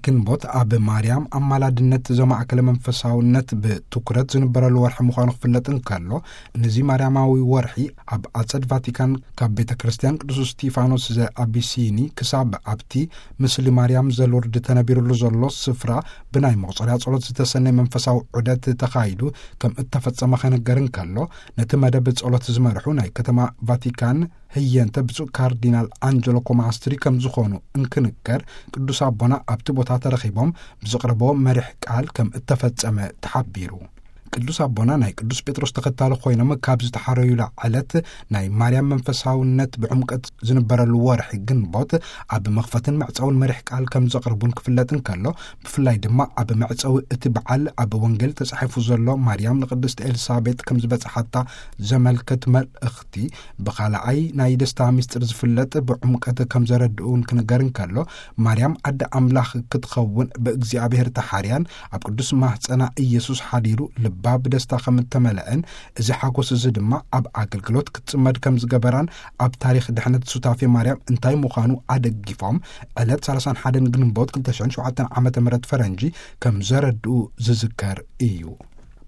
ግንቦት ኣብ ማርያም ኣማላድነት ዘማእከለ መንፈሳውነት ብትኩረት ዝንበረሉ ወርሒ ምዃኑ ክፍለጥ እንከሎ፣ ነዚ ማርያማዊ ወርሒ ኣብ ኣጸድ ቫቲካን ካብ ቤተ ክርስቲያን ቅዱስ እስቲፋኖስ ዘኣቢሲኒ ክሳብ ኣብቲ ምስሊ ማርያም ዘሉርድ ተነቢሩሉ ዘሎ ስፍራ ብናይ መቑጸርያ ጸሎት ዝተሰነየ መንፈሳዊ ዑደት ተኻይዱ ከም እተፈጸመ ከነገር እንከሎ፣ ነቲ መደብ ጸሎት ዝመርሑ ናይ ከተማ ቫቲካን ህየንተ ብፁዕ ካርዲናል ኣንጀሎ ኮማስትሪ ከም ዝኾኑ እንክንገር፣ ቅዱስ ኣቦና ኣብቲ ቦታ ተረኺቦም ብዘቕረቦ መሪሕ ቃል ከም እተፈጸመ ተሓቢሩ። ቅዱስ ኣቦና ናይ ቅዱስ ጴጥሮስ ተኸታሊ ኮይኖም ካብ ዝተሓረዩላ ዕለት ናይ ማርያም መንፈሳውነት ብዕምቀት ዝንበረሉ ወርሒ ግንቦት ኣብ መኽፈትን መዕጸውን መሪሕ ቃል ከም ዘቕርቡን ክፍለጥ እንከሎ፣ ብፍላይ ድማ ኣብ መዕጸዊ እቲ በዓል ኣብ ወንጌል ተጻሒፉ ዘሎ ማርያም ንቅድስቲ ኤልሳቤጥ ከም ዝበጽሓታ ዘመልክት መልእኽቲ ብኻልኣይ ናይ ደስታ ምስጢር ዝፍለጥ ብዕምቀት ከም ዘረድኡን ክንገር እንከሎ፣ ማርያም ኣደ ኣምላኽ ክትኸውን ብእግዚኣብሔር ተሓርያን ኣብ ቅዱስ ማህፀና ኢየሱስ ሓዲሩ ልባ ብደስታ ከም እተመልአን፣ እዚ ሓጎስ እዚ ድማ ኣብ ኣገልግሎት ክትጽመድ ከም ዝገበራን ኣብ ታሪኽ ድሕነት ሱታፌ ማርያም እንታይ ምዃኑ ኣደጊፎም ዕለት ሰላሳን ሓደን ግንቦት ክልተ ሽሕን ሸውዓተን ዓመተ ምህረት ፈረንጂ ከም ዘረድኡ ዝዝከር እዩ።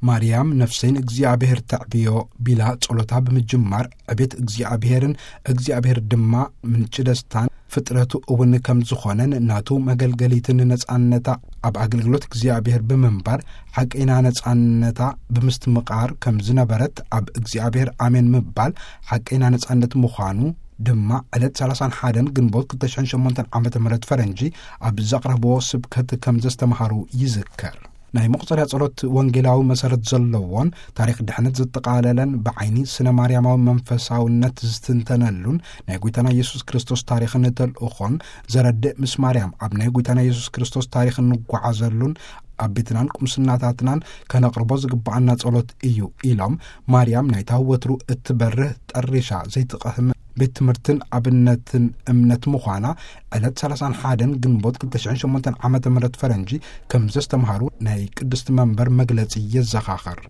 ማርያም ነፍሰይ ንእግዚኣብሔር ተዕብዮ ቢላ ጸሎታ ብምጅማር ዕቤት እግዚኣብሔርን እግዚኣብሔር ድማ ምንጪ ደስታን ፍጥረቱ እውን ከም ዝኾነን ናቱ መገልገሊትን ነጻነታ ኣብ ኣገልግሎት እግዚኣብሔር ብምንባር ሓቀይና ነጻነታ ብምስትምቓር ከም ዝነበረት ኣብ እግዚኣብሔር ኣሜን ምባል ሓቀይና ነጻነት ምዃኑ ድማ ዕለት ሰላሳን ሓደን ግንቦት ክልተ ሽሕን ሸሞንተን ዓመተ ምህረት ፈረንጂ ኣብ ዘቕረብዎ ስብከት ከም ዘስተምሃሩ ይዝከር። ናይ መቑጸርያ ጸሎት ወንጌላዊ መሰረት ዘለዎን ታሪኽ ድሕነት ዘጠቓለለን ብዓይኒ ስነ ማርያማዊ መንፈሳውነት ዝትንተነሉን ናይ ጐይታና ኢየሱስ ክርስቶስ ታሪኽን ተልእኾን ዘረድእ ምስ ማርያም ኣብ ናይ ጐይታና ኢየሱስ ክርስቶስ ታሪኽ እንጓዓዘሉን ኣብ ቤትናን ቁምስናታትናን ከነቕርቦ ዝግብኣና ጸሎት እዩ ኢሎም፣ ማርያም ናይታ ወትሩ እትበርህ ጠሪሻ ዘይትቐህም ቤት ትምህርትን ኣብነትን እምነት ምዃና ዕለት ሰላሳን ሓደን ግንቦት ክልተ ሽሕን ሸሞንተን ዓመተ ምህረት ፈረንጂ ከም ዘስተምሃሩ ናይ ቅድስቲ መንበር መግለጺ የዘኻኽር።